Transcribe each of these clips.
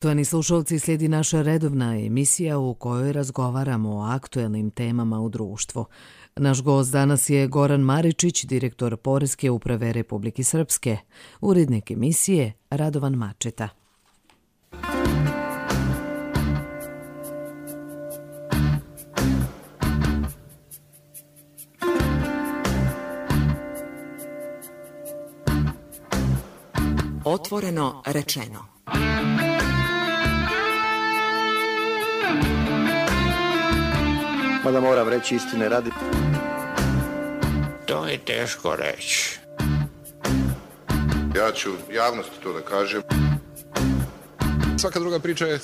Poštovani slušalci, slijedi naša redovna emisija u kojoj razgovaramo o aktuelnim temama u društvu. Naš gost danas je Goran Maričić, direktor Poreske uprave Republike Srpske, urednik emisije Radovan Mačeta. Otvoreno rečeno. Mada moram reći istine radi. To je teško reći. Ja ću javnosti to da kažem. Svaka druga priča je...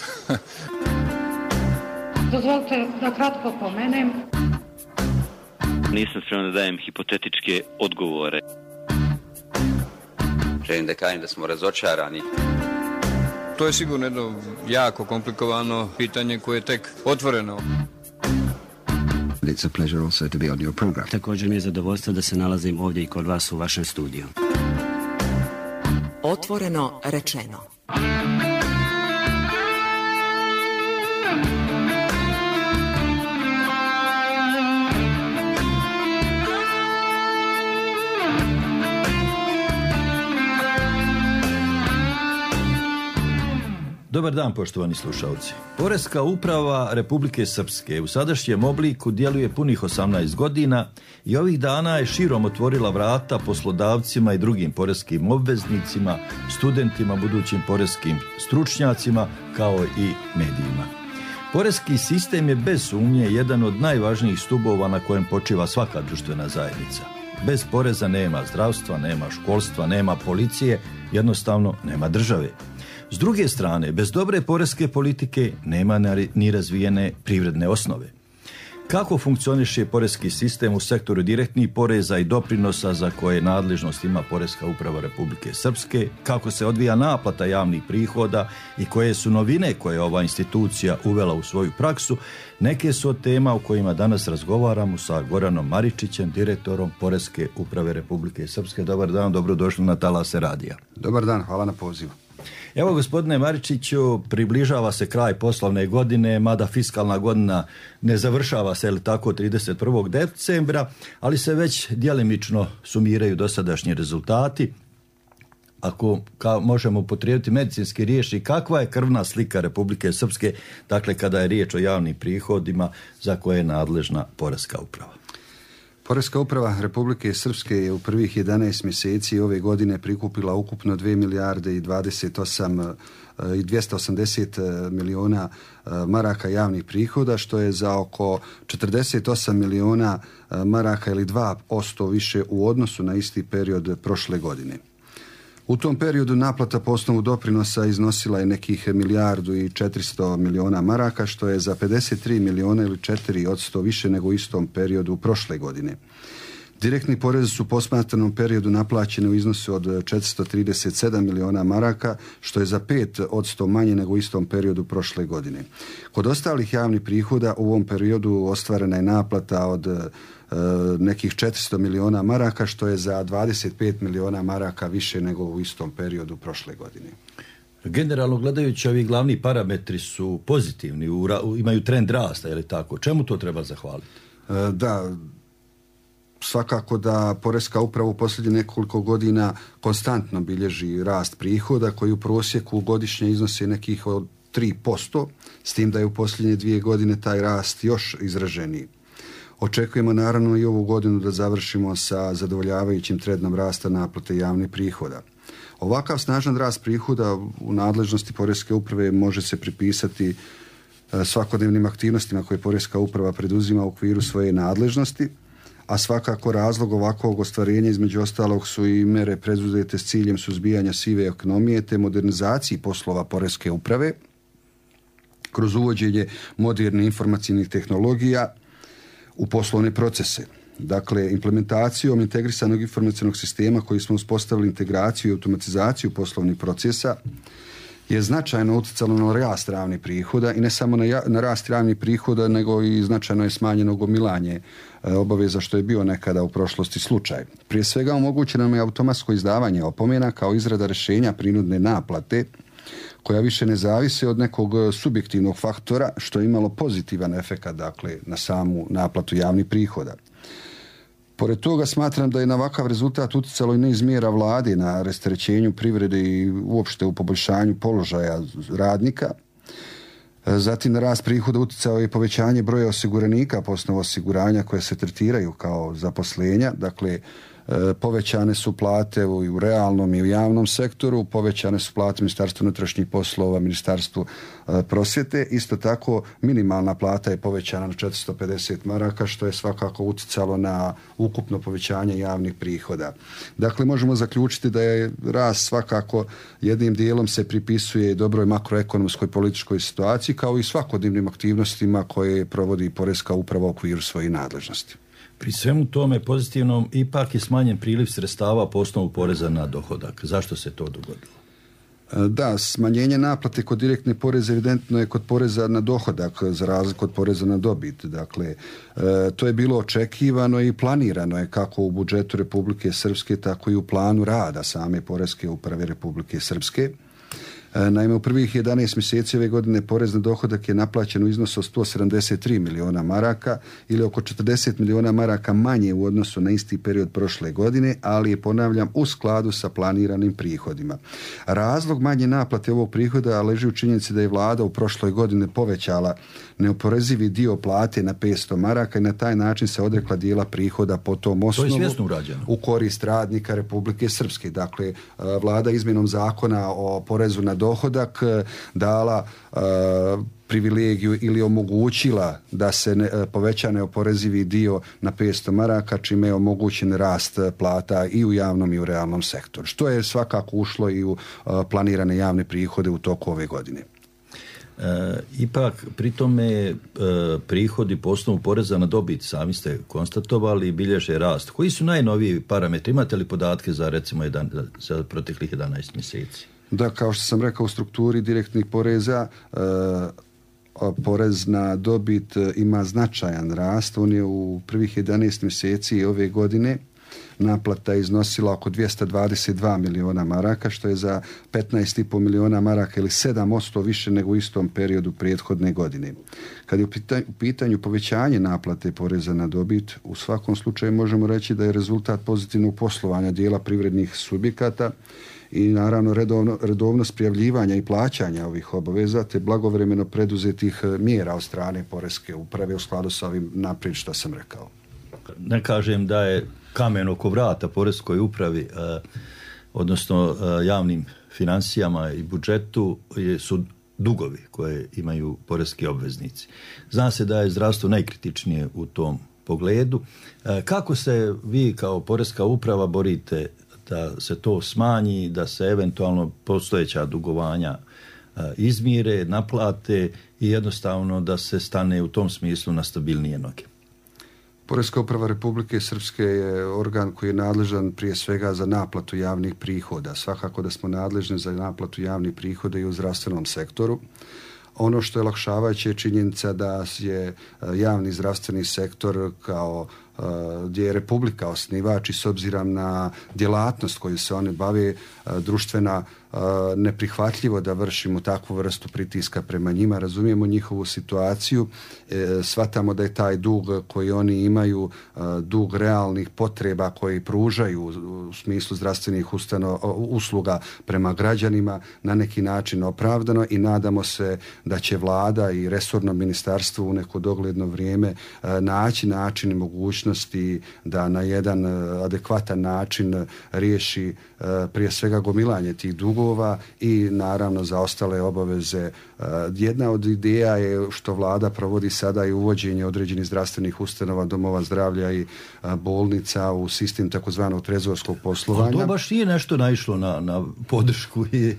Dozvolite da kratko pomenem. Nisam spreman da dajem hipotetičke odgovore. Želim da kažem da smo razočarani. To je sigurno jedno jako komplikovano pitanje koje je tek otvoreno. It's a pleasure also to be on your program. Također mi je zadovoljstvo da se nalazim ovdje i kod vas u vašem studiju. Otvoreno rečeno. Dobar dan, poštovani slušalci. Poreska uprava Republike Srpske u sadašnjem obliku djeluje punih 18 godina i ovih dana je širom otvorila vrata poslodavcima i drugim poreskim obveznicima, studentima, budućim poreskim stručnjacima, kao i medijima. Poreski sistem je bez sumnje jedan od najvažnijih stubova na kojem počiva svaka društvena zajednica. Bez poreza nema zdravstva, nema školstva, nema policije, jednostavno nema države. S druge strane, bez dobre poreske politike nema ni razvijene privredne osnove. Kako funkcioniše poreski sistem u sektoru direktnih poreza i doprinosa za koje nadležnost ima Poreska uprava Republike Srpske, kako se odvija naplata javnih prihoda i koje su novine koje ova institucija uvela u svoju praksu, neke su od tema o kojima danas razgovaramo sa Goranom Maričićem, direktorom Poreske uprave Republike Srpske. Dobar dan, dobrodošli na talase radija. Dobar dan, hvala na pozivu. Evo, gospodine Maričiću, približava se kraj poslovne godine, mada fiskalna godina ne završava se, ili tako, 31. decembra, ali se već djelimično sumiraju dosadašnji rezultati. Ako možemo upotrijebiti medicinski riječi, kakva je krvna slika Republike Srpske, dakle, kada je riječ o javnim prihodima za koje je nadležna Poreska uprava? Poreska uprava Republike Srpske je u prvih 11 mjeseci ove godine prikupila ukupno 2 milijarde i 280 milijuna maraka javnih prihoda, što je za oko 48 milijuna maraka ili 2% više u odnosu na isti period prošle godine. U tom periodu naplata po osnovu doprinosa iznosila je nekih 1 milijardu i 400 milijuna maraka, što je za 53 milijuna ili 4% više nego u istom periodu prošle godine. Direktni porezi su u posmatranom periodu naplaćeni u iznosu od 437 milijuna maraka, što je za 5% manje nego u istom periodu prošle godine. Kod ostalih javnih prihoda u ovom periodu ostvarena je naplata od nekih 400 milijuna maraka, što je za 25 milijuna maraka više nego u istom periodu prošle godine. Generalno gledajući, ovi glavni parametri su pozitivni, imaju trend rasta, je li tako? Čemu to treba zahvaliti? Da, svakako da Poreska uprava u posljednjih nekoliko godina konstantno bilježi rast prihoda koji u prosjeku godišnje iznose nekih od 3%, s tim da je u posljednje 2 godine taj rast još izraženiji. Očekujemo naravno i ovu godinu da završimo sa zadovoljavajućim trendom rasta naplate javnih prihoda. Ovakav snažan rast prihoda u nadležnosti Poreske uprave može se pripisati svakodnevnim aktivnostima koje Poreska uprava preduzima u okviru svoje nadležnosti, a svakako razlog ovakvog ostvarenja između ostalog su i mere preduzete s ciljem suzbijanja sive ekonomije te modernizaciji poslova Poreske uprave kroz uvođenje modernih informacijnih tehnologija u poslovne procese. Dakle, implementacijom integrisanog informacionog sistema koji smo uspostavili integraciju i automatizaciju poslovnih procesa je značajno utjecalo na rast javnih prihoda i ne samo na rast javnih prihoda, nego i značajno je smanjeno gomilanje obaveza, što je bio nekada u prošlosti slučaj. Prije svega omogućeno nam je automatsko izdavanje opomena kao izrada rješenja prinudne naplate koja više ne zavise od nekog subjektivnog faktora, što je imalo pozitivan efekat, dakle, na samu naplatu javnih prihoda. Pored toga smatram da je na ovakav rezultat utjecalo i niz mjera vlade na rasterećenju privrede i uopšte u poboljšanju položaja radnika. Zatim na rast prihoda utjecao je povećanje broja osiguranika po osnovu osiguranja koje se tretiraju kao zaposlenja. Dakle, povećane su plate i u realnom i u javnom sektoru, povećane su plate Ministarstvu unutrašnjih poslova, Ministarstvu prosvjete. Isto tako minimalna plata je povećana na 450 maraka, što je svakako utjecalo na ukupno povećanje javnih prihoda. Dakle, možemo zaključiti da je rast svakako jednim dijelom se pripisuje dobroj makroekonomskoj političkoj situaciji, kao i svakodnevnim aktivnostima koje provodi Poreska uprava u okviru svojih nadležnosti. Pri svemu tome pozitivnom ipak je smanjen priliv sredstava po osnovu poreza na dohodak. Zašto se to dogodilo? Da, smanjenje naplate kod direktne poreza evidentno je kod poreza na dohodak za razliku od poreza na dobit. Dakle, to je bilo očekivano i planirano je kako u budžetu Republike Srpske, tako i u planu rada same Poreske uprave Republike Srpske. Naime, u prvih 11 mjeseci ove godine porez na dohodak je naplaćen u iznosu od 173 miliona maraka ili oko 40 miliona maraka manje u odnosu na isti period prošle godine, ali je, ponavljam, u skladu sa planiranim prihodima. Razlog manje naplate ovog prihoda leži u činjenici da je vlada u prošloj godini povećala neoporezivi dio plate na 500 maraka i na taj način se odrekla dijela prihoda po tom osnovu u korist radnika Republike Srpske. Dakle, vlada izmjenom zakona o porezu na dohodak dala privilegiju ili omogućila da se poveća neoporezivi dio na 500 maraka, čime je omogućen rast plata i u javnom i u realnom sektoru, što je svakako ušlo i u planirane javne prihode u toku ove godine. Ipak, pri tome prihodi po osnovu poreza na dobit, sami ste konstatovali, bilježe rast. Koji su najnoviji parametri? Imate li podatke za recimo za proteklih 11 mjeseci? Da, kao što sam rekao, u strukturi direktnih poreza porez na dobit ima značajan rast. On je u prvih 11 mjeseci ove godine naplata iznosila oko 222 miliona maraka, što je za 15,5 miliona maraka ili 7% više nego u istom periodu prethodne godine. Kad je u pitanju povećanje naplate poreza na dobit, u svakom slučaju možemo reći da je rezultat pozitivnog poslovanja dijela privrednih subjekata i naravno redovnost prijavljivanja i plaćanja ovih obaveza te blagovremeno preduzetih mjera od strane Poreske uprave u skladu sa ovim naprijed što sam rekao. Ne kažem da je kamen oko vrata Poreskoj upravi, odnosno javnim financijama i budžetu su dugovi koje imaju poreski obveznici. Zna se da je zdravstvo najkritičnije u tom pogledu. Kako se vi kao Poreska uprava borite da se to smanji, da se eventualno postojeća dugovanja izmire, naplate i jednostavno da se stane u tom smislu na stabilnije noge? Poreska uprava Republike Srpske je organ koji je nadležan prije svega za naplatu javnih prihoda. Svakako da smo nadležni za naplatu javnih prihoda i u zdravstvenom sektoru. Ono što je olakšavajuće je činjenica da je javni zdravstveni sektor kao gdje je Republika osnivač i s obzirom na djelatnost koju se oni bave društvena neprihvatljivo da vršimo takvu vrstu pritiska prema njima, razumijemo njihovu situaciju, shvatamo da je taj dug koji oni imaju dug realnih potreba koji pružaju u smislu zdravstvenih usluga prema građanima na neki način opravdano i nadamo se da će vlada i resorno ministarstvo u neko dogledno vrijeme naći način i mogućnosti da na jedan adekvatan način riješi prije svega gomilanje tih dugova i naravno za ostale obaveze. Jedna od ideja je što vlada provodi sada i uvođenje određenih zdravstvenih ustanova, domova zdravlja i bolnica u sistem takozvanog trezorskog poslovanja. Ali to baš nije nešto naišlo na podršku i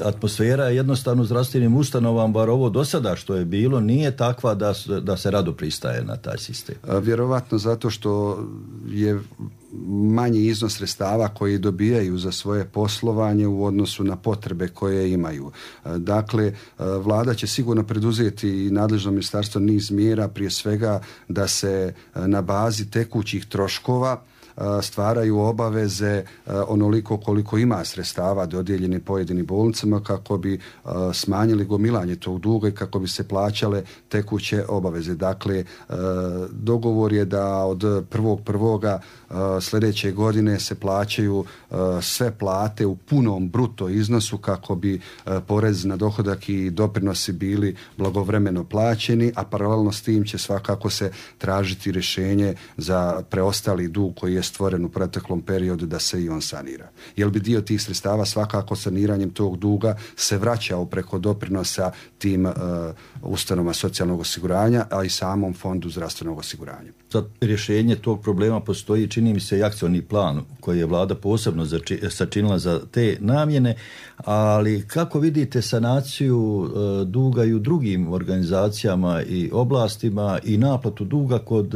atmosfera je jednostavno zdravstvenim ustanovama, bar ovo do sada što je bilo, nije takva da se rado pristaje na taj sistem. Vjerovatno zato što je manji iznos sredstava koji dobijaju za svoje poslovanje u odnosu na potrebe koje imaju. Dakle, vlada će sigurno preduzeti i nadležno ministarstvo niz mjera, prije svega da se na bazi tekućih troškova stvaraju obaveze onoliko koliko ima sredstava dodijeljeni pojedinim bolnicama kako bi smanjili gomilanje tog duga i kako bi se plaćale tekuće obaveze. Dakle, dogovor je da od 1.1. sljedeće godine se plaćaju sve plate u punom bruto iznosu kako bi porez na dohodak i doprinosi bili blagovremeno plaćeni, a paralelno s tim će svakako se tražiti rješenje za preostali dug koji je stvoren u proteklom periodu da se i on sanira. Jer bi dio tih sredstava svakako saniranjem tog duga se vraćao preko doprinosa tim ustanovama socijalnog osiguranja, a i samom fondu zdravstvenog osiguranja. Za rješenje tog problema postoji, čini mi se, i akcioni plan koji je vlada posebno sačinila za te namjene, ali kako vidite sanaciju duga i u drugim organizacijama i oblastima i naplatu duga kod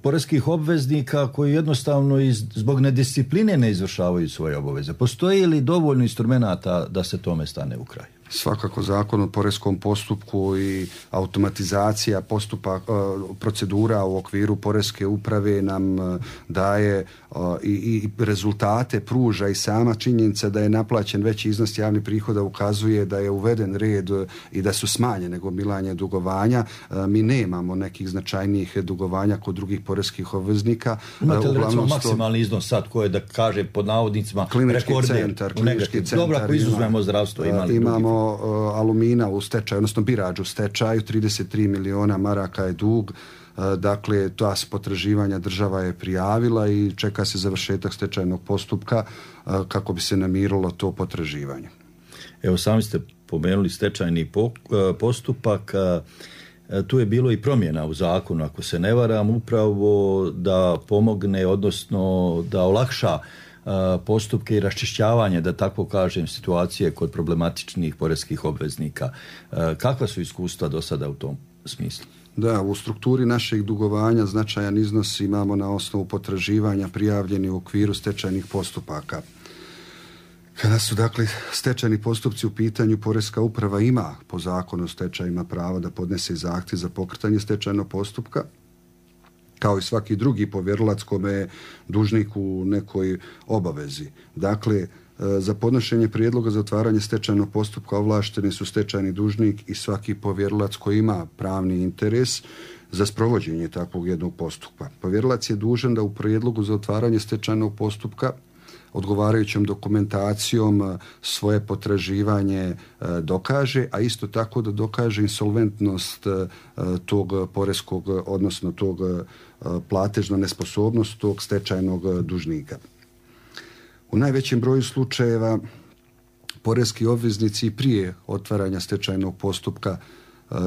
poreskih obveznika koji jednostavno zbog nediscipline ne izvršavaju svoje obaveze? Postoji li dovoljno instrumenata da se tome stane u kraj? Svakako zakon o poreskom postupku i automatizacija procedura u okviru poreske uprave nam daje i rezultate pruža i sama činjenica da je naplaćen veći iznos javnih prihoda ukazuje da je uveden red i da su smanjene gomilanje dugovanja. Mi nemamo nekih značajnijih dugovanja kod drugih poreskih obveznika. Imate li recimo maksimalni iznos sad koji je, da kaže pod navodnicima, rekorder? Klinički centar. Dobro, ako izuzmemo zdravstvo, imamo Alumina u stečaju, odnosno Birač u stečaju, 33 miliona maraka je dug. Dakle, ta potraživanja država je prijavila i čeka se završetak stečajnog postupka kako bi se namirilo to potraživanje. Evo, sami ste pomenuli stečajni postupak. Tu je bilo i promjena u zakonu, ako se ne varam, upravo da pomogne, odnosno da olakša postupke i raščišćavanje, da tako kažem, situacije kod problematičnih poreskih obveznika. Kakva su iskustva do sada u tom smislu? Da, u strukturi našeg dugovanja značajan iznos imamo na osnovu potraživanja prijavljeni u okviru stečajnih postupaka. Kada su dakle stečajni postupci u pitanju, poreska uprava ima po zakonu o stečajima pravo da podnese zahtjev za pokretanje stečajnog postupka, kao i svaki drugi povjerilac kome je dužnik u nekoj obavezi. Dakle, za podnošenje prijedloga za otvaranje stečajnog postupka ovlašteni su stečajni dužnik i svaki povjerilac koji ima pravni interes za sprovođenje takvog jednog postupka. Povjerilac je dužan da u prijedlogu za otvaranje stečajnog postupka odgovarajućom dokumentacijom svoje potraživanje dokaže, a isto tako da dokaže insolventnost tog poreskog, odnosno tog platežna nesposobnost tog stečajnog dužnika. U najvećem broju slučajeva poreski obveznici prije otvaranja stečajnog postupka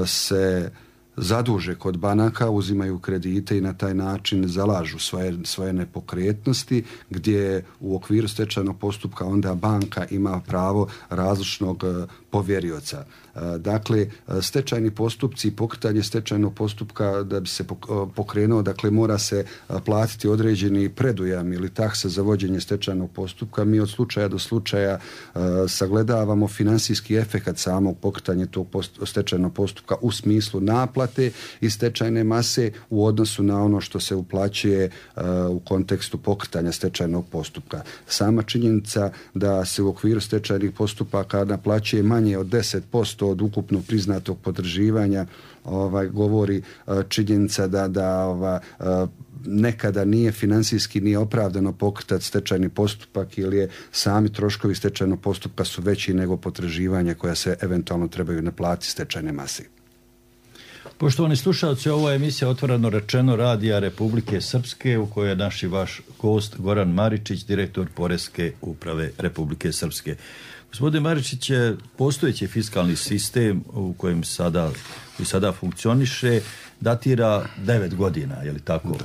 se zaduže kod banaka, uzimaju kredite i na taj način zalažu svoje nepokretnosti, gdje u okviru stečajnog postupka onda banka ima pravo različnog povjerioca. Dakle, stečajni postupci i pokretanje stečajnog postupka da bi se pokrenuo, dakle mora se platiti određeni predujam ili taksa za vođenje stečajnog postupka. Mi od slučaja do slučaja sagledavamo finansijski efekat samog pokretanja tog stečajnog postupka u smislu naplate i stečajne mase u odnosu na ono što se uplaćuje u kontekstu pokretanja stečajnog postupka. Sama činjenica da se u okviru stečajnih postupaka naplaćuje manje od 10% od ukupno priznatog potraživanja, govori činjenica da nekada nije financijski nije opravdano pokretati stečajni postupak ili je sami troškovi stečajnog postupka su veći nego potraživanja koja se eventualno trebaju naplatiti stečajne mase. Poštovani slušalci, ovo je emisija Otvoreno rečeno Radija Republike Srpske u kojoj je naš i vaš gost Goran Maričić, direktor Poreske uprave Republike Srpske. Gospodin Maričić, postojeći fiskalni sistem u kojem sada funkcioniše datira 9 godina, je li tako?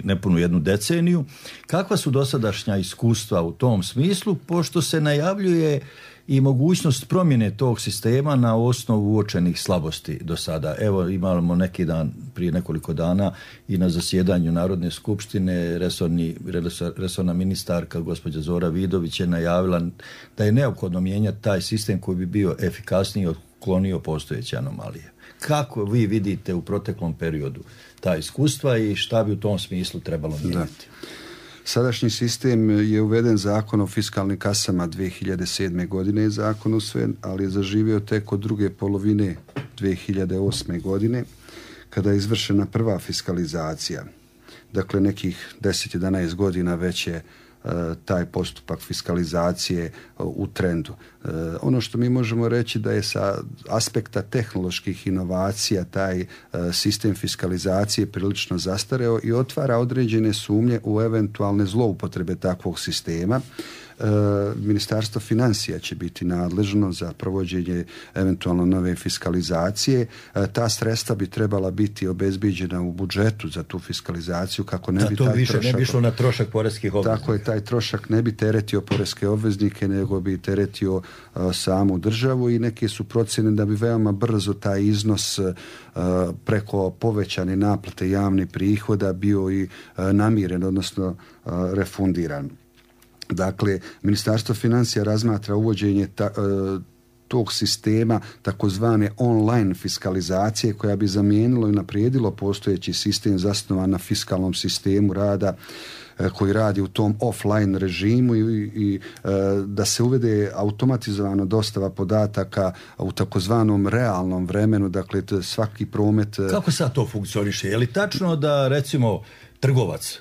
Nepunu jednu deceniju. Kakva su dosadašnja iskustva u tom smislu, pošto se najavljuje i mogućnost promjene tog sistema na osnovu uočenih slabosti do sada? Evo, imamo neki dan, prije nekoliko dana, i na zasjedanju Narodne skupštine resorna ministarka gospođa Zora Vidović je najavila da je neophodno mijenjati taj sistem koji bi bio efikasniji, otklonio postojeće anomalije. Kako vi vidite u proteklom periodu ta iskustva i šta bi u tom smislu trebalo mijenjati? Sadašnji sistem je uveden zakon o fiskalnim kasama 2007. godine je zakon usvojen, ali je zaživio tek od druge polovine 2008. godine kada je izvršena prva fiskalizacija. Dakle, nekih 10-11 godina već je taj postupak fiskalizacije u trendu. Ono što mi možemo reći da je sa aspekta tehnoloških inovacija taj sistem fiskalizacije prilično zastareo i otvara određene sumnje u eventualne zloupotrebe takvog sistema. Ministarstvo financija će biti nadležno za provođenje eventualno nove fiskalizacije. Ta sredstva bi trebala biti obezbijeđena u budžetu za tu fiskalizaciju kako ne bi taj trošak... ne bi išlo na trošak poreskih obveznika. Tako je, taj trošak ne bi teretio poreske obveznike, nego bi teretio samu državu i neke su procjene da bi veoma brzo taj iznos preko povećane naplate javnih prihoda bio i namiren, odnosno refundiran. Dakle, Ministarstvo financija razmatra uvođenje tog sistema takozvane online fiskalizacije koja bi zamijenilo i naprijedilo postojeći sistem zasnovan na fiskalnom sistemu rada koji radi u tom offline režimu i da se uvede automatizovano dostava podataka u takozvanom realnom vremenu, dakle svaki promet... Kako sad to funkcioniše? Je li tačno da recimo trgovac,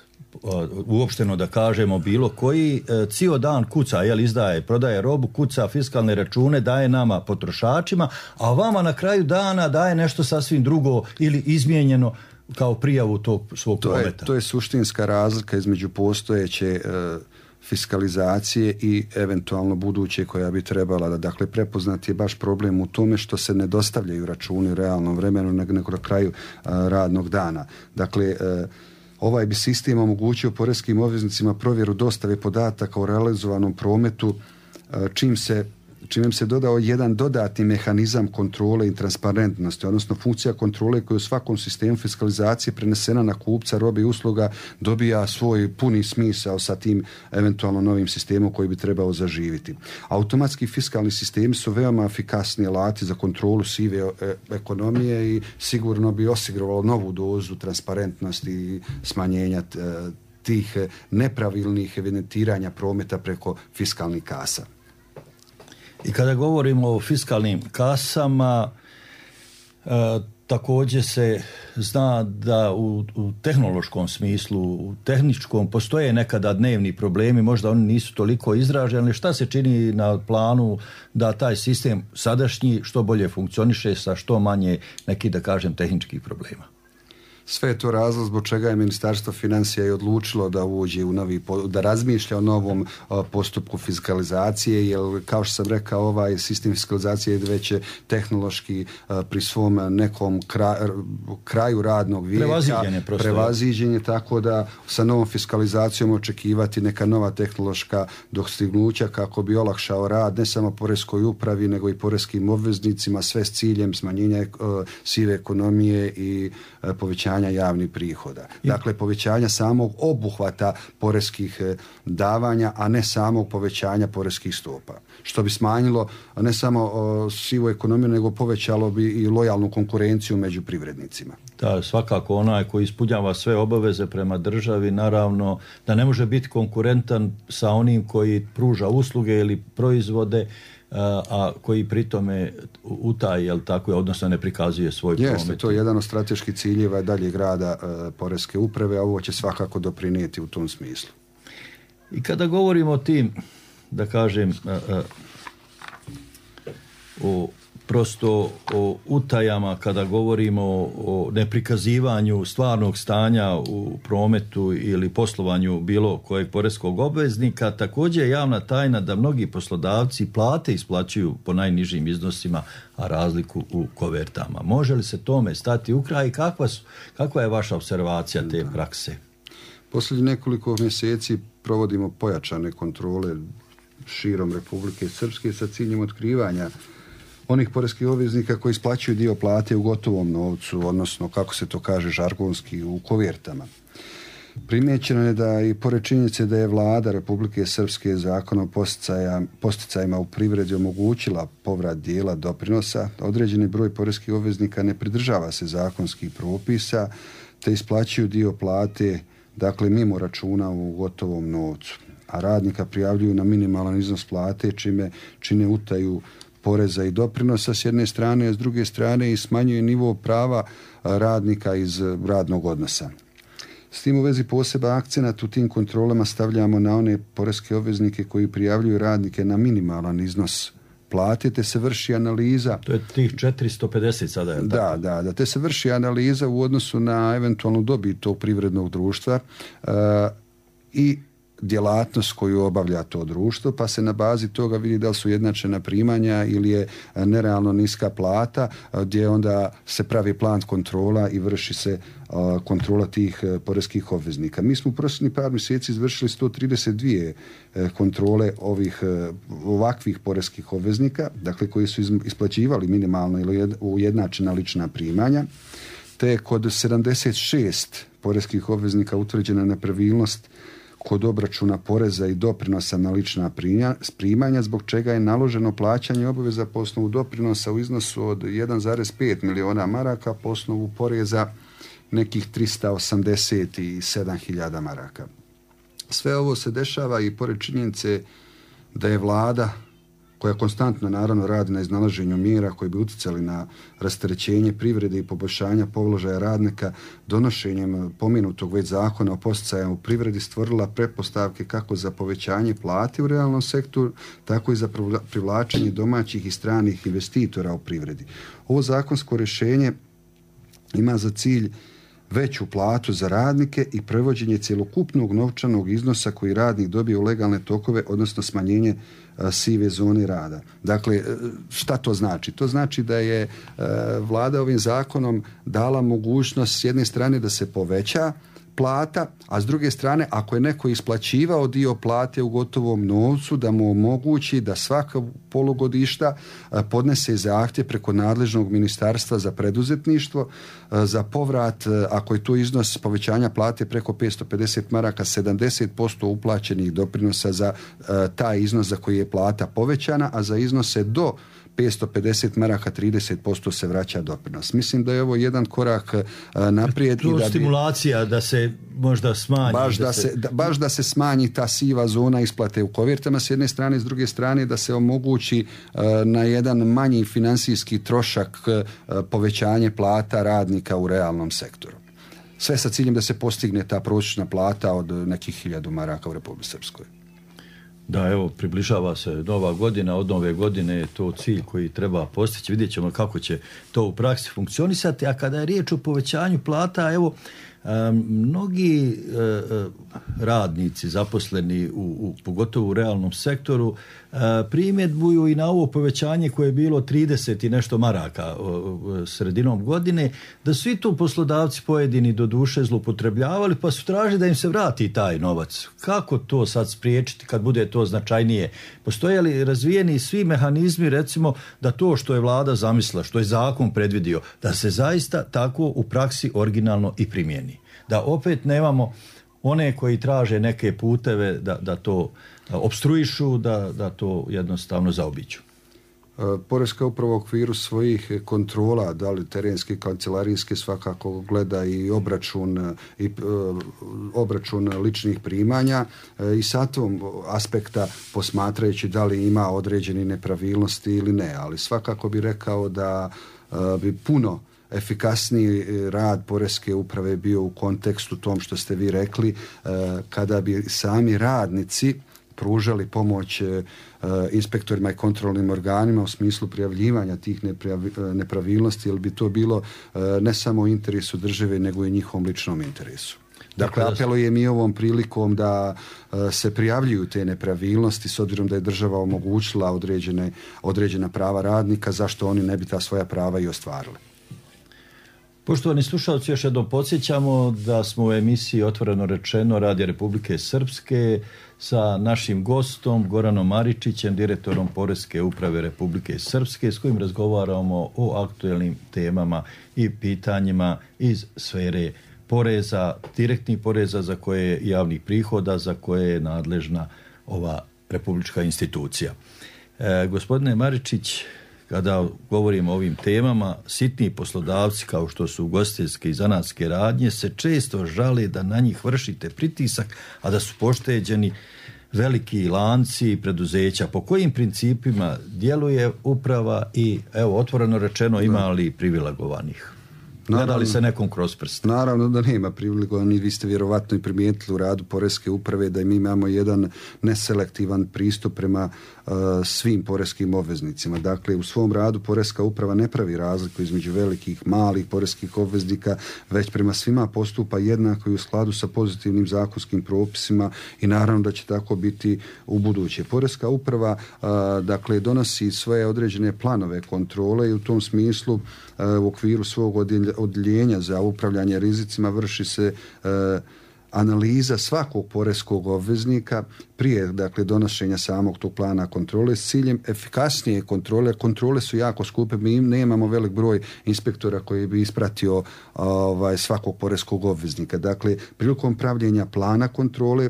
uopšteno da kažemo bilo koji, cijel dan kuca, izdaje, prodaje robu, kuca fiskalne račune, daje nama potrošačima, a vama na kraju dana daje nešto sasvim drugo ili izmijenjeno kao prijavu tog svog prometa? To je suštinska razlika između postojeće fiskalizacije i eventualno buduće koja bi trebala da, dakle, prepoznati je baš problem u tome što se ne dostavljaju računi u realnom vremenu nego na kraju radnog dana. Dakle, ovaj bi sistem omogućio poreskim obveznicima provjeru dostave podataka o realizovanom prometu, čime se dodao jedan dodatni mehanizam kontrole i transparentnosti, odnosno funkcija kontrole koja u svakom sistemu fiskalizacije prenesena na kupca robe i usluga dobija svoj puni smisao sa tim eventualno novim sistemom koji bi trebao zaživiti. Automatski fiskalni sistemi su veoma efikasni alati za kontrolu sive ekonomije i sigurno bi osiguralo novu dozu transparentnosti i smanjenja tih nepravilnih evidentiranja prometa preko fiskalnih kasa. I kada govorimo o fiskalnim kasama, također se zna da u tehnološkom smislu, u tehničkom, postoje nekada dnevni problemi, možda oni nisu toliko izraženi. Šta se čini na planu da taj sistem sadašnji što bolje funkcioniše sa što manje nekih, da kažem, tehničkih problema? Sve je to razlog zbog čega je Ministarstvo financija i odlučilo da uđe u da razmišlja o novom postupku fiskalizacije, jer kao što sam rekao, ovaj sistem fiskalizacije je već tehnološki pri svom nekom kraju radnog vijeka prevaziđenje, tako da sa novom fiskalizacijom očekivati neka nova tehnološka dostignuća kako bi olakšao rad ne samo poreskoj upravi nego i poreskim obveznicima, sve s ciljem smanjenja sive ekonomije i povećanja javnih prihoda. Dakle, povećanja samog obuhvata poreskih davanja, a ne samog povećanja poreskih stopa. Što bi smanjilo ne samo sivu ekonomiju, nego povećalo bi i lojalnu konkurenciju među privrednicima. Da, svakako onaj koji ispunjava sve obaveze prema državi, naravno da ne može biti konkurentan sa onim koji pruža usluge ili proizvode, a koji pritome utaje, jel tako je, odnosno ne prikazuje svoj promet. Jeste, to je jedan od strateških ciljeva daljeg rada poreske uprave, a ovo će svakako doprinijeti u tom smislu. I kada govorimo o tim, da kažem, o utajama, kada govorimo o neprikazivanju stvarnog stanja u prometu ili poslovanju bilo kojeg poreskog obveznika, također je javna tajna da mnogi poslodavci plate isplaćuju po najnižim iznosima, a razliku u kovertama. Može li se tome stati u kraj i kakva je vaša observacija te prakse? Posljednjih nekoliko mjeseci provodimo pojačane kontrole širom Republike Srpske sa ciljem otkrivanja onih poreskih obveznika koji isplaćuju dio plate u gotovom novcu, odnosno, kako se to kaže žargonski, u kovertama. Primijećeno je da i pored činjenice da je vlada Republike Srpske zakonom posticajima u privredi omogućila povrat dijela doprinosa, određeni broj poreskih obveznika ne pridržava se zakonskih propisa te isplaćuju dio plate, dakle mimo računa u gotovom novcu, a radnika prijavljuju na minimalan iznos plate čime čine utaju poreza i doprinosa s jedne strane, a s druge strane i smanjuje nivo prava radnika iz radnog odnosa. S tim u vezi poseban akcenat u tim kontrolama stavljamo na one poreske obveznike koji prijavljuju radnike na minimalan iznos plate, te se vrši analiza. To je tih 450 sada, je li tako? Da, te se vrši analiza u odnosu na eventualnu dobit tog privrednog društva i djelatnost koju obavlja to društvo, pa se na bazi toga vidi da li su jednačena primanja ili je nerealno niska plata, gdje onda se pravi plan kontrola i vrši se kontrola tih poreskih obveznika. Mi smo u prošlih par mjeseci izvršili 132 kontrole ovakvih poreskih obveznika, dakle koji su isplaćivali minimalno ili ujednačena lična primanja, te kod 76 poreskih obveznika utvrđena nepravilnost kod obračuna poreza i doprinosa na lična primanja, zbog čega je naloženo plaćanje obaveza po osnovu doprinosa u iznosu od 1,5 miliona maraka, po osnovu poreza nekih 387.000 maraka. Sve ovo se dešava i pored činjenice da je vlada, koja konstantno naravno radi na iznalaženju mjera koji bi utjecali na rasterećenje privrede i poboljšanja položaja radnika, donošenjem pomenutog već zakona o posticajima u privredi stvorila pretpostavke kako za povećanje plate u realnom sektoru, tako i za privlačenje domaćih i stranih investitora u privredi. Ovo zakonsko rješenje ima za cilj veću platu za radnike i prevođenje cjelokupnog novčanog iznosa koji radnik dobije u legalne tokove, odnosno smanjenje sive zone rada. Dakle, šta to znači? To znači da je vlada ovim zakonom dala mogućnost s jedne strane da se poveća plata, a s druge strane ako je neko isplaćivao dio plate u gotovom novcu, da mu omogući da svaka polugodišta podnese zahtjev preko nadležnog ministarstva za preduzetništvo za povrat, ako je to iznos povećanja plate preko 550 maraka, 70% uplaćenih doprinosa za taj iznos za koji je plata povećana, a za iznose do 550 maraka 30% se vraća doprinos. Mislim da je ovo jedan korak naprijed. To je stimulacija da se možda smanji. Baš da se smanji ta siva zona isplate u kovertama s jedne strane, s druge strane da se omogući na jedan manji financijski trošak povećanje plata radnika u realnom sektoru. Sve sa ciljem da se postigne ta prosječna plata od nekih 1000 maraka u Republici Srpskoj. Da, evo, približava se nova godina, od nove godine je to cilj koji treba postići, vidjet ćemo kako će to u praksi funkcionisati, a kada je riječ o povećanju plata, evo, mnogi radnici zaposleni pogotovo u realnom sektoru primjedbuju i na ovo povećanje koje je bilo 30 i nešto maraka sredinom godine, da su i tu poslodavci pojedini do duše zloupotrebljavali, pa su tražili da im se vrati taj novac. Kako to sad spriječiti kad bude to značajnije? Postoje li razvijeni svi mehanizmi, recimo, da to što je vlada zamislila, što je zakon predvidio, da se zaista tako u praksi originalno i primijeni? Da opet nemamo one koji traže neke puteve da to opstruišu, da to jednostavno zaobiđu. Poreska uprava u okviru svojih kontrola, da li terenske, kancelarijske, svakako gleda i obračun ličnih primanja i sa tom aspekta posmatrajući da li ima određeni nepravilnosti ili ne, ali svakako bi rekao da bi puno efikasniji rad poreske uprave bio u kontekstu tom što ste vi rekli, kada bi sami radnici pružali pomoć inspektorima i kontrolnim organima u smislu prijavljivanja tih nepravilnosti, jer bi to bilo ne samo u interesu države, nego i njihovom ličnom interesu. Dakle, apelujem i ovom prilikom da se prijavljuju te nepravilnosti, s obzirom da je država omogućila određena prava radnika, zašto oni ne bi ta svoja prava i ostvarili. Poštovani slušalci, još jednom podsjećamo da smo u emisiji Otvoreno rečeno Radija Republike Srpske sa našim gostom Goranom Maričićem, direktorom Poreske uprave Republike Srpske, s kojim razgovaramo o aktuelnim temama i pitanjima iz sfere poreza, direktnih poreza za koje javnih prihoda za koje je nadležna ova republička institucija. Gospodine Maričić, kada govorimo o ovim temama, sitni poslodavci kao što su ugostiteljske i zanatske radnje se često žale da na njih vršite pritisak, a da su pošteđeni veliki lanci i preduzeća. Po kojim principima djeluje uprava i, evo, otvoreno rečeno, ima li privilegovanih? Gleda li se nekom kroz prst? Naravno da nema privilegovanih. Vi ste vjerovatno i primijetili u radu Poreske uprave da mi imamo jedan neselektivan pristup prema svim poreskim obveznicima. Dakle, u svom radu Poreska uprava ne pravi razliku između velikih, malih poreskih obveznika, već prema svima postupa jednako i u skladu sa pozitivnim zakonskim propisima i naravno da će tako biti u buduće. Poreska uprava dakle donosi svoje određene planove kontrole i u tom smislu u okviru svog odjeljenja za upravljanje rizicima vrši se analiza svakog poreskog obveznika prije, dakle, donošenja samog tog plana kontrole s ciljem efikasnije kontrole. Kontrole su jako skupe, mi nemamo velik broj inspektora koji bi ispratio svakog poreskog obveznika. Dakle, prilikom pravljenja plana kontrole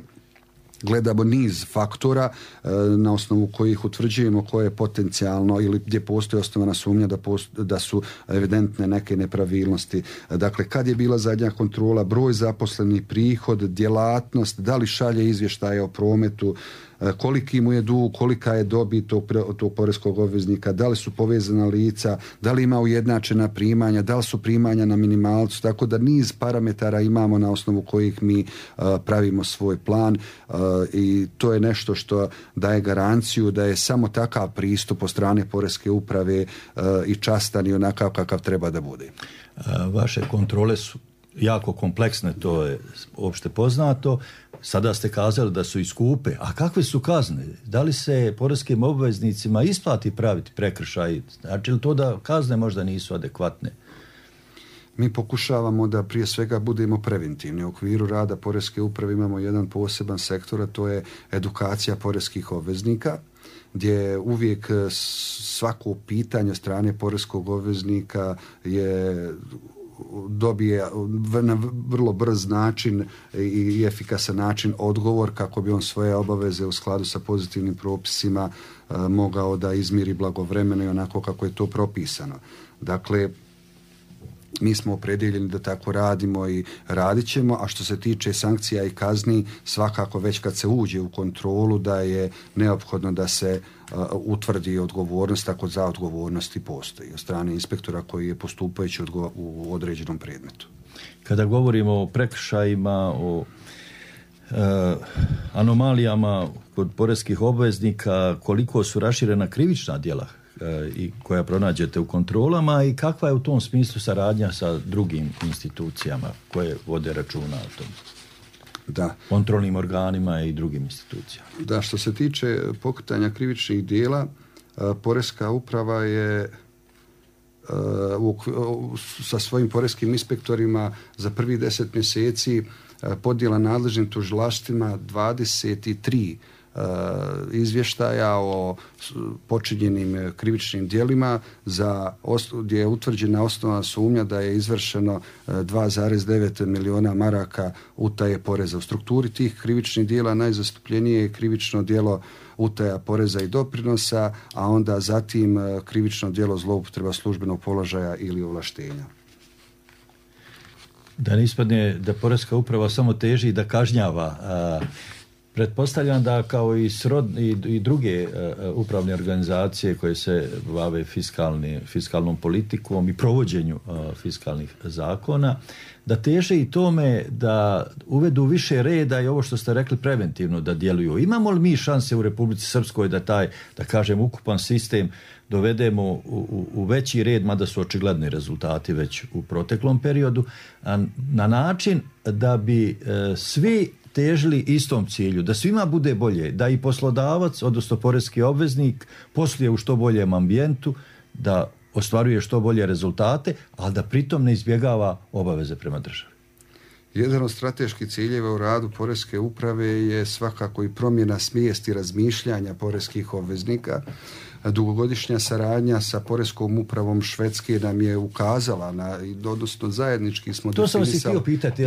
gledamo niz faktora na osnovu kojih utvrđujemo koje je potencijalno ili gdje postoji osnovana sumnja da su evidentne neke nepravilnosti. Dakle, kad je bila zadnja kontrola, broj zaposlenih, prihod, djelatnost, da li šalje izvještaje o prometu, koliki mu je dug, kolika je dobit tog poreskog obveznika, da li su povezana lica, da li ima ujednačena primanja, da li su primanja na minimalcu, tako da niz parametara imamo na osnovu kojih mi pravimo svoj plan i to je nešto što daje garanciju da je samo takav pristup od strane Poreske uprave i častan i onakav kakav treba da bude. Vaše kontrole su jako kompleksne, to je opšte poznato. Sada ste kazali da su i skupe. A kakve su kazne? Da li se poreskim obveznicima isplati praviti prekršaj? Znači li to da kazne možda nisu adekvatne? Mi pokušavamo da prije svega budemo preventivni. U okviru rada Poreske uprave imamo jedan poseban sektor, a to je edukacija poreskih obveznika, gdje uvijek svako pitanje od strane poreskog obveznika je dobije na vrlo brz način i efikasan način odgovor kako bi on svoje obaveze u skladu sa pozitivnim propisima mogao da izmiri blagovremeno i onako kako je to propisano. Dakle, mi smo opredjeljeni da tako radimo i radit ćemo, a što se tiče sankcija i kazni, svakako već kad se uđe u kontrolu da je neophodno da se utvrdi odgovornost, ako za odgovornosti postoji od strane inspektora koji je postupajući u određenom predmetu. Kada govorimo o prekršajima, o anomalijama kod poreskih obveznika, koliko su raširena krivična djela i koja pronađete u kontrolama i kakva je u tom smislu saradnja sa drugim institucijama koje vode računa o tom? Da. Kontrolnim organima i drugim institucijama. Da, što se tiče pokretanja krivičnih djela, Poreska uprava je sa svojim poreskim inspektorima za prvih 10 mjeseci podnijela nadležnim tužilaštvima 23 izvještaja o počinjenim krivičnim djelima gdje je utvrđena osnovna sumnja da je izvršeno 2,9 miliona maraka utaje poreza. U strukturi tih krivičnih djela najzastupljenije je krivično djelo utaja poreza i doprinosa, a onda zatim krivično djelo zloupotreba službenog položaja ili ovlaštenja. Da ne ispadne da Poreska uprava samo teži da kažnjava. Pretpostavljam da kao i druge upravne organizacije koje se bave fiskalnom politikom i provođenju fiskalnih zakona, da teže i tome da uvedu više reda i ovo što ste rekli preventivno da djeluju. Imamo li mi šanse u Republici Srpskoj da taj, da kažem, ukupan sistem dovedemo u veći red, mada su očigledni rezultati već u proteklom periodu, na način da bi svi težili istom cilju, da svima bude bolje, da i poslodavac, odnosno poreski obveznik, posluje u što boljem ambijentu, da ostvaruje što bolje rezultate, ali da pritom ne izbjegava obaveze prema državi. Jedan od strateških ciljeva u radu Poreske uprave je svakako i promjena svijesti razmišljanja poreskih obveznika. dugogodišnja saradnja sa Poreskom upravom Švedske nam je ukazala odnosno zajednički smo to sam vas i htio pitati.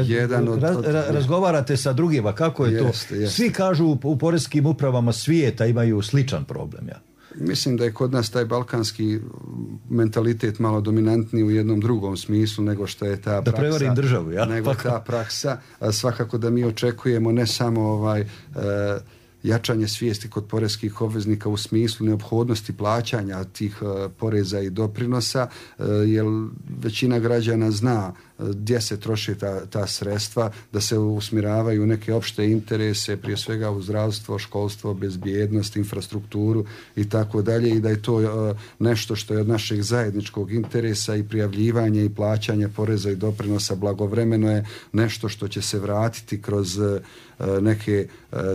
Razgovarate sa drugima, kako je to? Svi kažu u poreskim upravama svijeta imaju sličan problem. Ja. Mislim da je kod nas taj balkanski mentalitet malo dominantniji u jednom drugom smislu nego što je ta praksa. Da prevarim državu, ja? Nego ta praksa. Svakako da mi očekujemo ne samo jačanje svijesti kod poreskih obveznika u smislu neophodnosti plaćanja tih poreza i doprinosa, jer većina građana zna gdje se troši ta sredstva, da se usmjeravaju u neke opšte interese, prije svega u zdravstvo, školstvo, bezbjednost, infrastrukturu i tako dalje, i da je to nešto što je od našeg zajedničkog interesa i prijavljivanje i plaćanje poreza i doprinosa blagovremeno je nešto što će se vratiti kroz neke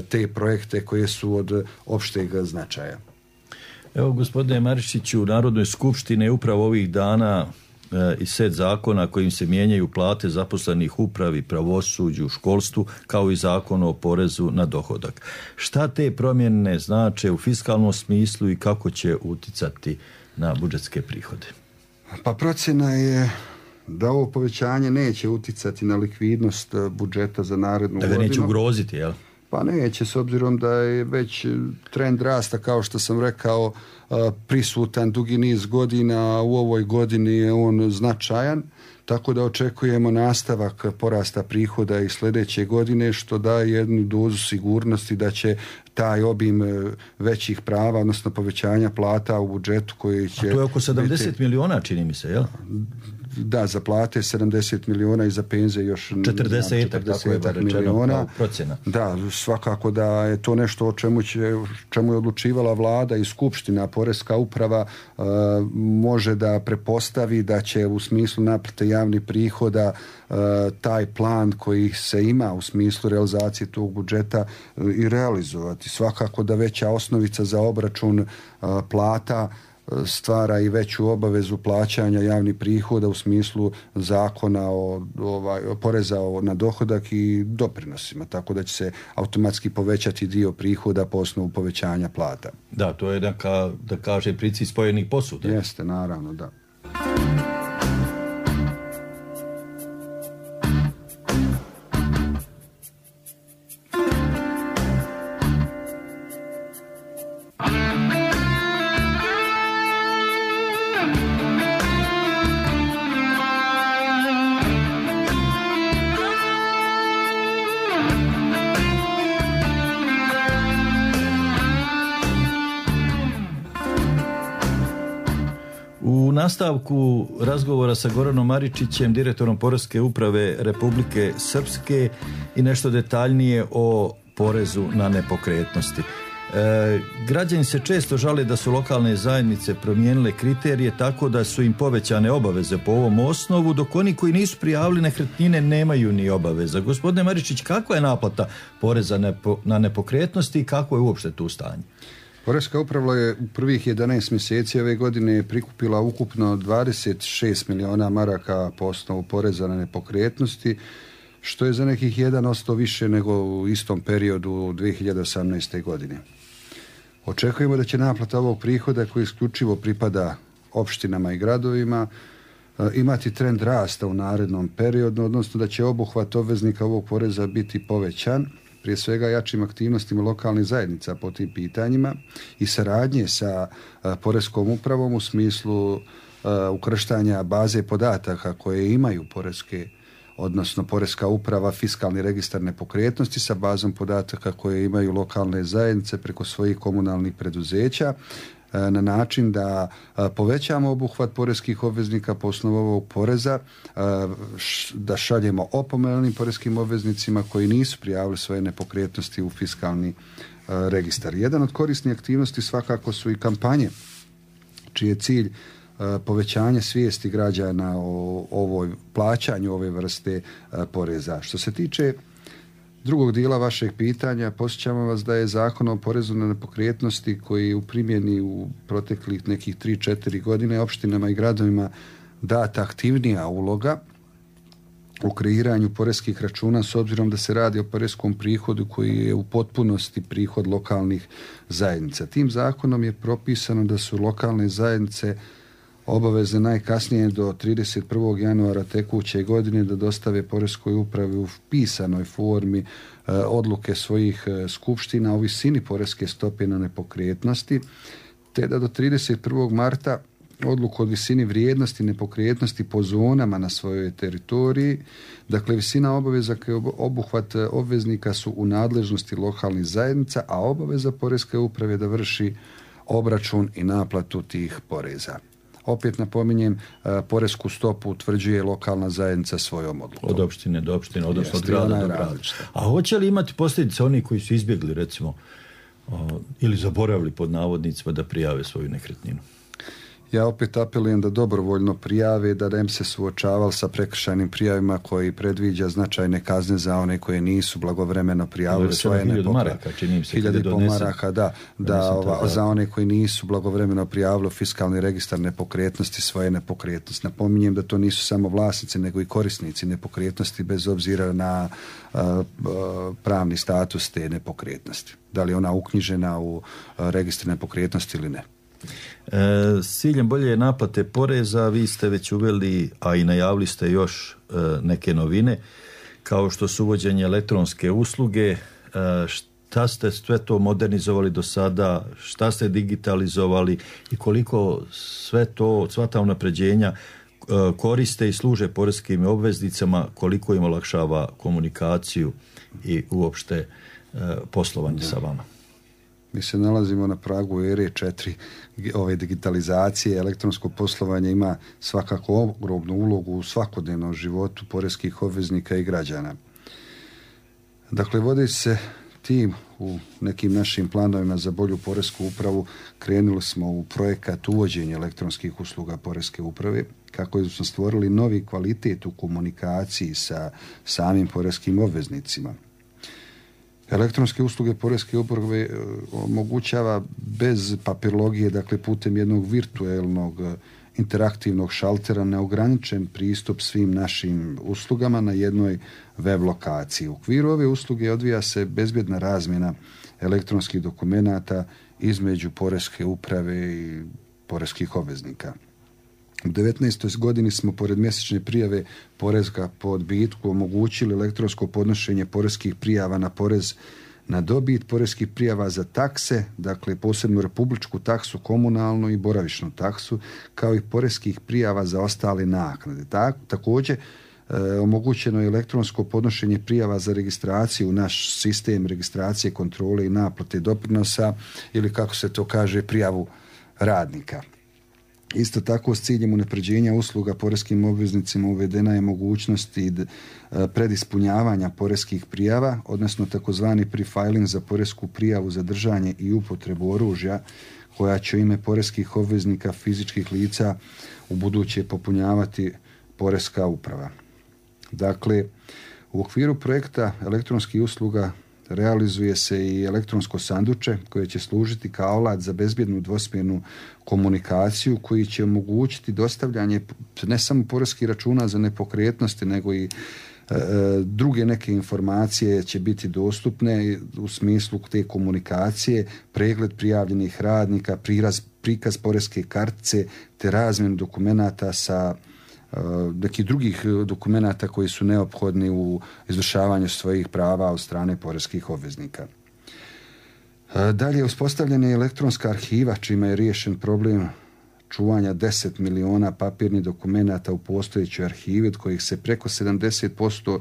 te projekte koje su od opšteg značaja. Evo, gospodine Maričiću, u Narodnoj skupštini je upravo ovih dana i set zakona kojim se mijenjaju plate zaposlenih u upravi, pravosuđu, školstvu, kao i zakon o porezu na dohodak. Šta te promjene znače u fiskalnom smislu i kako će uticati na budžetske prihode? Pa procjena je da ovo povećanje neće uticati na likvidnost budžeta za narednu godinu. Da ga neće ugroziti, jel? Pa neće, s obzirom da je već trend rasta, kao što sam rekao, prisutan dugi niz godina, u ovoj godini je on značajan, tako da očekujemo nastavak porasta prihoda i sljedeće godine, što daje jednu dozu sigurnosti da će taj obim većih prava, odnosno povećanja plata u budžetu koji će... A to je oko 70 miliona, čini mi se, jel? Da, za plate 70 miliona i za penzije još 40 miliona procjena. Da, svakako da je to nešto o čemu je odlučivala vlada i skupština. Poreska uprava može da prepostavi da će u smislu naplate javnih prihoda taj plan koji se ima u smislu realizacije tog budžeta i realizovati. Svakako da veća osnovica za obračun plata stvara i veću obavezu plaćanja javnih prihoda u smislu zakona o poreza na dohodak i doprinosima, tako da će se automatski povećati dio prihoda po osnovu povećanja plata. Da, to je da kaže princip spojenih posuda. Jeste, naravno, da. U nastavku razgovora sa Goranom Maričićem, direktorom Poreske uprave Republike Srpske, i nešto detaljnije o porezu na nepokretnosti. Građani se često žale da su lokalne zajednice promijenile kriterije tako da su im povećane obaveze po ovom osnovu, dok oni koji nisu prijavili nekretnine nemaju ni obaveza. Gospodine Maričić, kakva je naplata poreza na nepokretnosti i kako je uopšte tu stanje? Poreska uprava je u prvih 11 mjeseci ove godine prikupila ukupno 26 miliona maraka po osnovu poreza na nepokretnosti, što je za nekih 1% više nego u istom periodu 2018. godine. Očekujemo da će naplata ovog prihoda, koji isključivo pripada opštinama i gradovima, imati trend rasta u narednom periodu, odnosno da će obuhvat obveznika ovog poreza biti povećan, prije svega jačim aktivnostima lokalnih zajednica po tim pitanjima i saradnje sa Poreskom upravom u smislu ukrštanja baze podataka koje imaju Poreska uprava, fiskalni registar nepokretnosti sa bazom podataka koje imaju lokalne zajednice preko svojih komunalnih preduzeća, na način da povećamo obuhvat poreskih obveznika po osnovu ovog poreza, da šaljemo opomene onim poreskim obveznicima koji nisu prijavili svoje nepokretnosti u fiskalni registar. Jedan od korisnih aktivnosti svakako su i kampanje, čiji je cilj povećanje svijesti građana o plaćanju ove vrste poreza. Što se tiče drugog dijela vašeg pitanja, podsjećamo vas da je Zakon o porezu na nepokretnosti, koji je u primjeni u proteklih nekih 3-4 godine opštinama i gradovima data aktivnija uloga u kreiranju poreskih računa, s obzirom da se radi o poreskom prihodu koji je u potpunosti prihod lokalnih zajednica. Tim zakonom je propisano da su lokalne zajednice obavezne najkasnije do 31. januara tekuće godine da dostave poreskoj upravi u pisanoj formi odluke svojih skupština o visini poreske stope na nepokretnosti, te da do 31. marta odluku o visini vrijednosti nepokretnosti po zonama na svojoj teritoriji. Dakle, visina obaveza kao obuhvat obveznika su u nadležnosti lokalnih zajednica, a obaveza poreske uprave da vrši obračun i naplatu tih poreza. Opet napominjem, poresku stopu utvrđuje lokalna zajednica svojom odlukom. Od opštine do opštine, odnosno od grada do grada. A hoće li imati posljedice oni koji su izbjegli, recimo, ili zaboravili pod navodnicima da prijave svoju nekretninu? Ja opet apelujem da dobrovoljno prijave, da ne bi se suočavali sa prekršajnim prijavima koji predviđa značajne kazne za one koje nisu blagovremeno prijavili svoje nepokretnosti. 1000 maraka, za one koji nisu blagovremeno prijavili fiskalni registar nepokretnosti svoje nepokretnosti. Napominjem da to nisu samo vlasnici, nego i korisnici nepokretnosti bez obzira na pravni status te nepokretnosti. Da li je ona uknjižena u registru nepokretnosti ili ne. S ciljem bolje naplate poreza vi ste već uveli, a i najavili ste još neke novine, kao što su uvođenje elektronske usluge. Šta ste sve to modernizovali do sada, šta ste digitalizovali i koliko sva ta unapređenja koriste i služe poreskim obveznicama, koliko im olakšava komunikaciju i uopšte poslovanje sa vama? Mi se nalazimo na pragu ere 4 ove digitalizacije. Elektronsko poslovanje ima svakako ogromnu ulogu u svakodnevnom životu poreskih obveznika i građana. Dakle, vodeći se tim u nekim našim planovima za bolju poresku upravu, krenuli smo u projekat uvođenja elektronskih usluga poreske uprave, kako smo stvorili novi kvalitet u komunikaciji sa samim poreskim obveznicima. Elektronske usluge poreske uprave omogućava bez papirologije, dakle putem jednog virtuelnog interaktivnog šaltera, neograničen pristup svim našim uslugama na jednoj web lokaciji. U okviru ove usluge odvija se bezbjedna razmjena elektronskih dokumenata između poreske uprave i poreskih obveznika. U 19. godini smo pored mjesečne prijave poreza po odbitku omogućili elektronsko podnošenje poreskih prijava na porez na dobit, poreskih prijava za takse, dakle posebnu republičku taksu, komunalnu i boravišnu taksu, kao i poreskih prijava za ostale naknade. Također omogućeno je elektronsko podnošenje prijava za registraciju u naš sistem registracije, kontrole i naplate doprinosa, ili kako se to kaže, prijavu radnika. Isto tako, s ciljem unapređenja usluga poreskim obveznicima uvedena je mogućnost i predispunjavanja poreskih prijava, odnosno takozvani prefiling za poresku prijavu za držanje i upotrebu oružja, koja će u ime poreskih obveznika fizičkih lica u buduće popunjavati poreska uprava. Dakle, u okviru projekta elektronskih usluga realizuje se i elektronsko sanduče koje će služiti kao alat za bezbjednu dvosmjernu komunikaciju, koji će omogućiti dostavljanje ne samo poreskih računa za nepokretnosti, nego i druge neke informacije će biti dostupne u smislu te komunikacije, pregled prijavljenih radnika, prikaz poreske kartice te razmjenu dokumenata sa nekih drugih dokumenata koji su neophodni u izvršavanju svojih prava od strane poreskih obveznika. Dalje, uspostavljena je elektronska arhiva, čime je riješen problem čuvanja 10 miliona papirnih dokumenata u postojećoj arhivi, od kojih se preko 70%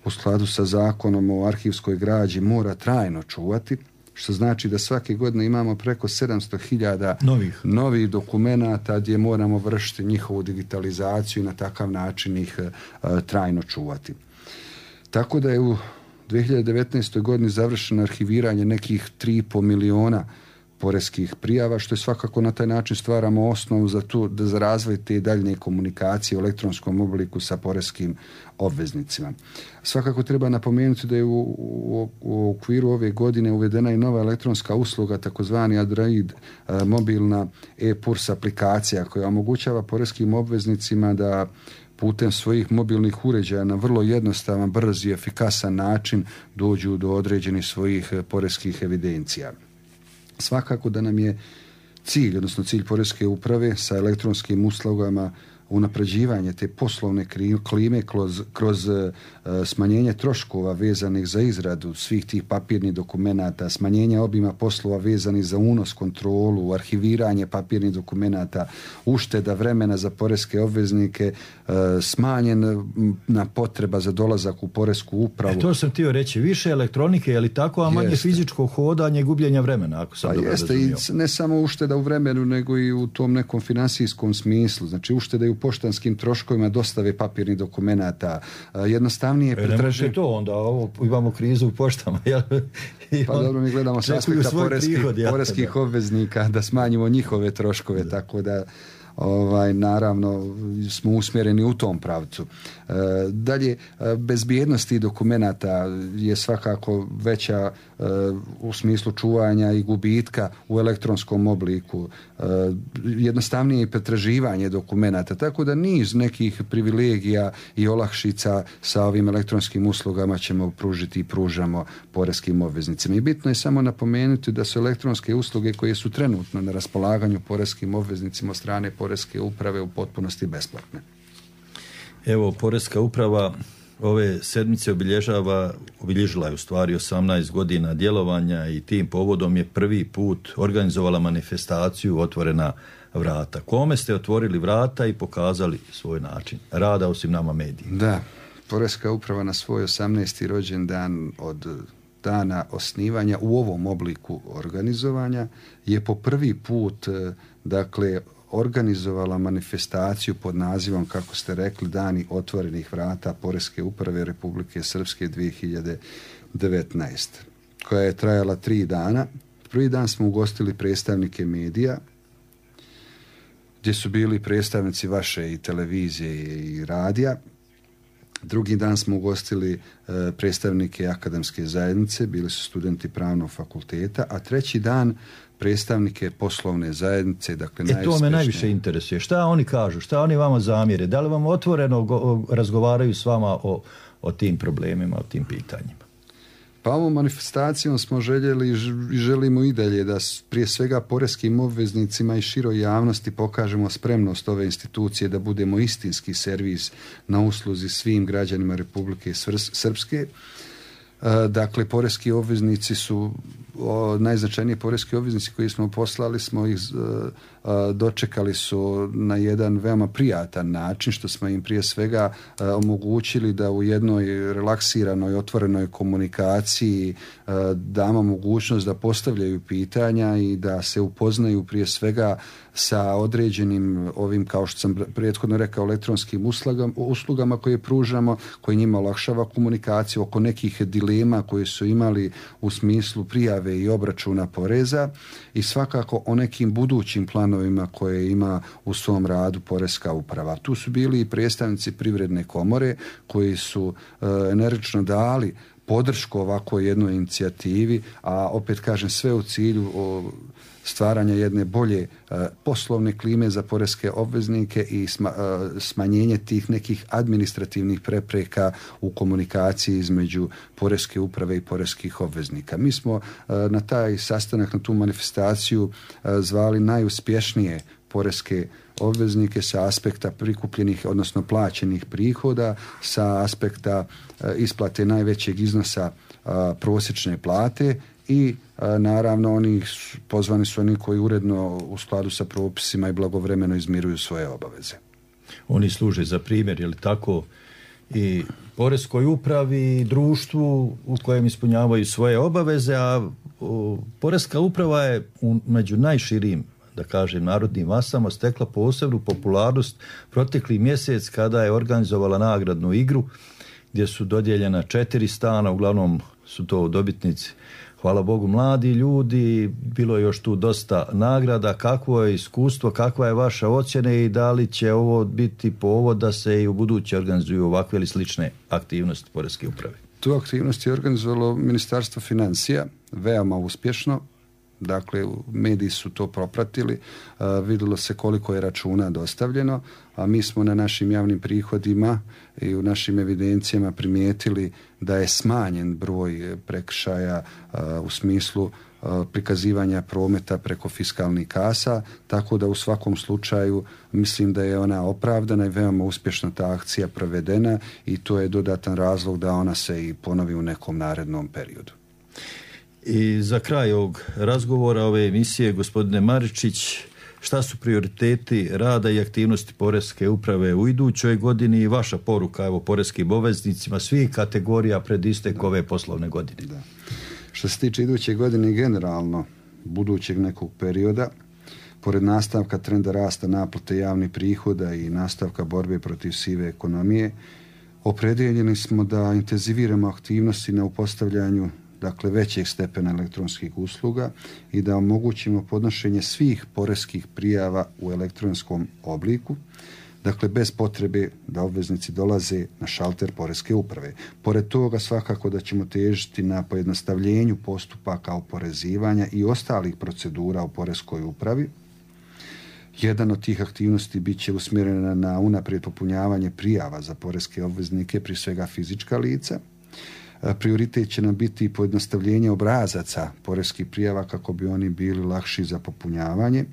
u skladu sa zakonom o arhivskoj građi mora trajno čuvati, što znači da svake godine imamo preko 700.000 novih dokumenata gdje moramo vršiti njihovu digitalizaciju i na takav način ih trajno čuvati. Tako da je u 2019. godini završeno arhiviranje nekih 3,5 miliona poreskih prijava, što je svakako na taj način stvaramo osnovu za razvoj te daljnje komunikacije u elektronskom obliku sa poreskim obveznicima. Svakako treba napomenuti da je u okviru ove godine uvedena i nova elektronska usluga, takozvani Android mobilna e-PURS aplikacija, koja omogućava poreskim obveznicima da putem svojih mobilnih uređaja na vrlo jednostavan, brz i efikasan način dođu do određenih svojih poreskih evidencija. Svakako da nam je cilj, odnosno cilj Poreske uprave sa elektronskim uslugama unapređivanje te poslovne klime kroz smanjenje troškova vezanih za izradu svih tih papirnih dokumenata, smanjenje obima poslova vezanih za unos, kontrolu, arhiviranje papirnih dokumenata, ušteda vremena za poreske obveznike, smanjena potreba za dolazak u Poresku upravu. To sam htio reći, više elektronike, je li tako, a manje fizičko hodanje i gubljenja vremena, ako sam dobro razumio. Jeste, i ne samo ušteda u vremenu, nego i u tom nekom finansijskom smislu. Znači, ušteda i u poštanskim troškovima dostave papirnih dokumenata, jednostavnije pretraživanje. To onda, imamo krizu u poštama. Pa dobro, mi gledamo s aspekta poreskih obveznika da smanjimo njihove troškove, tako da naravno smo usmjereni u tom pravcu. Dalje, bezbjednost tih dokumenata je svakako veća u smislu čuvanja i gubitka u elektronskom obliku, jednostavnije pretraživanje dokumenata, tako da niz nekih privilegija i olakšica sa ovim elektronskim uslugama ćemo pružiti i pružamo poreskim obveznicima. I bitno je samo napomenuti da su elektronske usluge koje su trenutno na raspolaganju poreskim obveznicima od strane Poreske uprave u potpunosti besplatne. Evo, Poreska uprava ove sedmice obilježila je u stvari 18 godina djelovanja i tim povodom je prvi put organizovala manifestaciju Otvorena vrata. Kome ste otvorili vrata i pokazali svoj način rada osim nama medijima? Da, Poreska uprava na svoj 18. rođendan od dana osnivanja u ovom obliku organizovanja je po prvi put organizovala manifestaciju pod nazivom, kako ste rekli, Dani otvorenih vrata Poreske uprave Republike Srpske 2019, koja je trajala 3 dana. Prvi dan smo ugostili predstavnike medija, gdje su bili predstavnici vaše i televizije i radija. Drugi dan smo ugostili predstavnike akademske zajednice, bili su studenti pravnog fakulteta, a treći dan predstavnike poslovne zajednice, dakle najuspješnije. To me najviše interesuje. Šta oni kažu? Šta oni vama zamjere? Da li vam otvoreno razgovaraju s vama o tim problemima, o tim pitanjima? Pa ovom manifestacijom smo željeli i želimo i dalje da prije svega poreskim obveznicima i široj javnosti pokažemo spremnost ove institucije da budemo istinski servis na usluzi svim građanima Republike Srpske. Dakle, poreski obveznici su najznačajniji poreski obveznici koji smo poslali, smo ih dočekali su na jedan veoma prijatan način, što smo im prije svega omogućili da u jednoj relaksiranoj, otvorenoj komunikaciji damo mogućnost da postavljaju pitanja i da se upoznaju prije svega sa određenim ovim, kao što sam prethodno rekao, elektronskim uslugama koje pružamo, koje njima olakšava komunikaciju oko nekih dilema koje su imali u smislu prijave i obračuna poreza i svakako o nekim budućim planovima koje ima u svom radu Poreska uprava. Tu su bili i predstavnici Privredne komore koji su energično dali podršku ovako jednoj inicijativi, a opet kažem sve u cilju stvaranja jedne bolje poslovne klime za poreske obveznike i smanjenje tih nekih administrativnih prepreka u komunikaciji između Poreske uprave i poreskih obveznika. Mi smo na taj sastanak, na tu manifestaciju zvali najuspješnije poreske obveznike sa aspekta prikupljenih, odnosno plaćenih prihoda, sa aspekta isplate najvećeg iznosa prosječne plate i naravno pozvani su oni koji uredno u skladu sa propisima i blagovremeno izmiruju svoje obaveze. Oni služe za primjer, je li tako, i Poreskoj upravi i društvu u kojem ispunjavaju svoje obaveze, a Poreska uprava je među najširim, da kažem, narodnim masama stekla posebnu popularnost protekli mjesec kada je organizovala nagradnu igru gdje su dodijeljena 4 stana, uglavnom su to dobitnici, hvala Bogu, mladi ljudi, bilo je još tu dosta nagrada. Kakvo je iskustvo, kakva je vaša ocjena i da li će ovo biti povod da se i u buduće organizuju ovakve ili slične aktivnosti Poreske uprave? Tu aktivnost je organizovalo Ministarstvo financija, veoma uspješno. dakle mediji su to propratili, vidjelo se koliko je računa dostavljeno, a mi smo na našim javnim prihodima i u našim evidencijama primijetili da je smanjen broj prekršaja u smislu prikazivanja prometa preko fiskalnih kasa, tako da u svakom slučaju mislim da je ona opravdana i veoma uspješno ta akcija provedena i to je dodatan razlog da ona se i ponovi u nekom narednom periodu. I za kraj ovog razgovora, ove emisije, gospodine Maričić, šta su prioriteti rada i aktivnosti Poreske uprave u idućoj godini i vaša poruka evo poreskim obveznicima svih kategorija pred istek ove poslovne godine? Da. Što se tiče iduće godine generalno budućeg nekog perioda, pored nastavka trenda rasta naplate javnih prihoda i nastavka borbe protiv sive ekonomije, opredjeljeni smo da intenziviramo aktivnosti na upostavljanju dakle većeg stepena elektronskih usluga i da omogućimo podnošenje svih poreskih prijava u elektronskom obliku, dakle bez potrebe da obveznici dolaze na šalter Poreske uprave. Pored toga svakako da ćemo težiti na pojednostavljenju postupaka oporezivanja i ostalih procedura u Poreskoj upravi. Jedan od tih aktivnosti bit će usmjerena na unaprijed popunjavanje prijava za poreske obveznike, prije svega fizička lica. Prioritet će nam biti pojednostavljenje obrazaca poreskih prijava kako bi oni bili lakši za popunjavanje,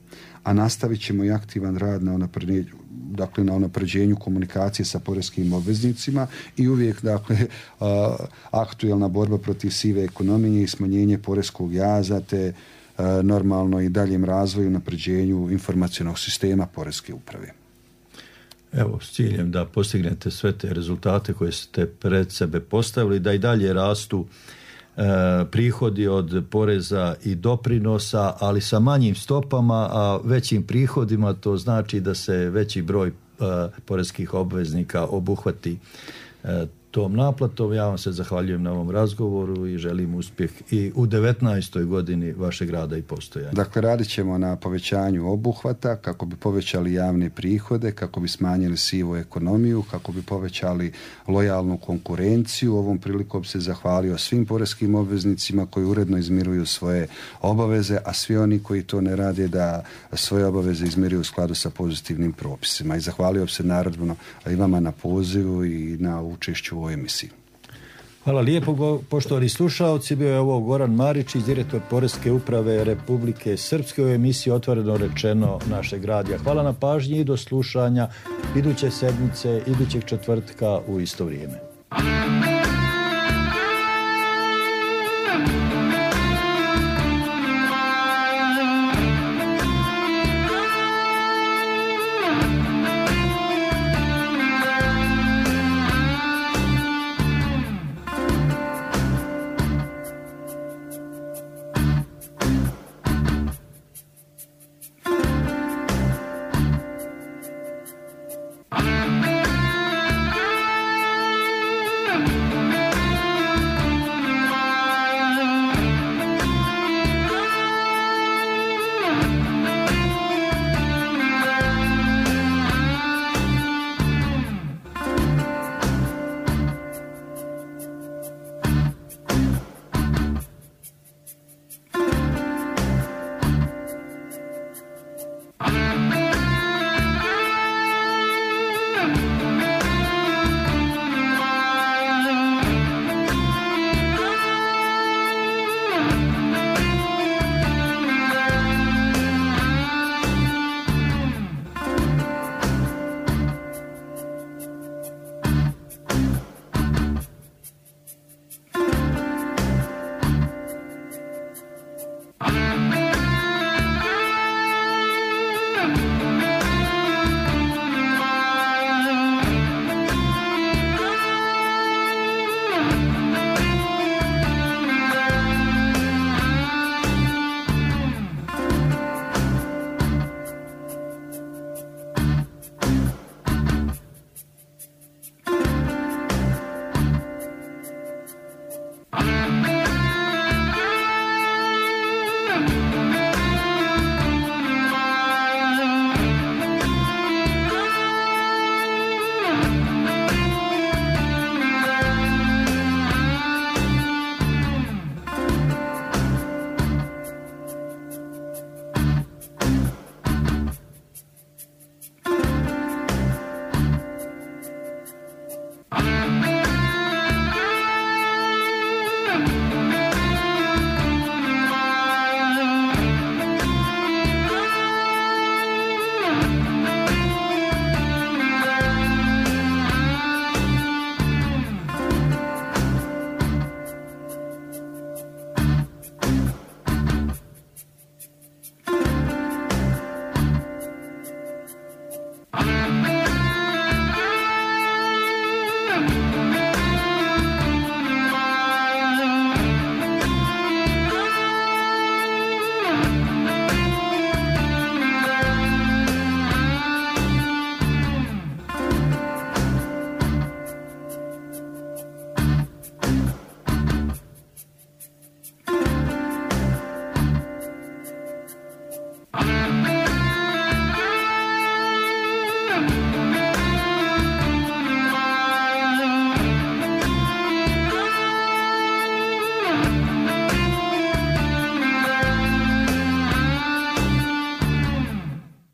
a nastavit ćemo i aktivan rad na unapređenju komunikacije sa poreskim obveznicima i uvijek aktuelna borba protiv sive ekonomije i smanjenje poreskog jaza te normalno i daljem razvoju i unapređenju informacionog sistema Poreske uprave. Evo, s ciljem da postignete sve te rezultate koje ste pred sebe postavili, da i dalje rastu prihodi od poreza i doprinosa, ali sa manjim stopama, a većim prihodima, to znači da se veći broj poreskih obveznika obuhvati tom naplatom. Ja vam se zahvaljujem na ovom razgovoru i želim uspjeh i u 19. godini vašeg rada i postojanja. Dakle, radit ćemo na povećanju obuhvata kako bi povećali javne prihode, kako bi smanjili sivu ekonomiju, kako bi povećali lojalnu konkurenciju. Ovom prilikom se zahvalio svim poreskim obveznicima koji uredno izmiruju svoje obaveze, a svi oni koji to ne rade da svoje obaveze izmiruju u skladu sa pozitivnim propisima. I zahvalio se naravno i vama na pozivu i na učešću u ovoj emisiji. Hvala lijepo, poštovani slušalci. Bio je ovo Goran Maričić, direktor Poreske uprave Republike Srpske u emisiji Otvoreno rečeno našeg radija. Hvala na pažnji i do slušanja iduće sedmice, idućeg četvrtka u isto vrijeme.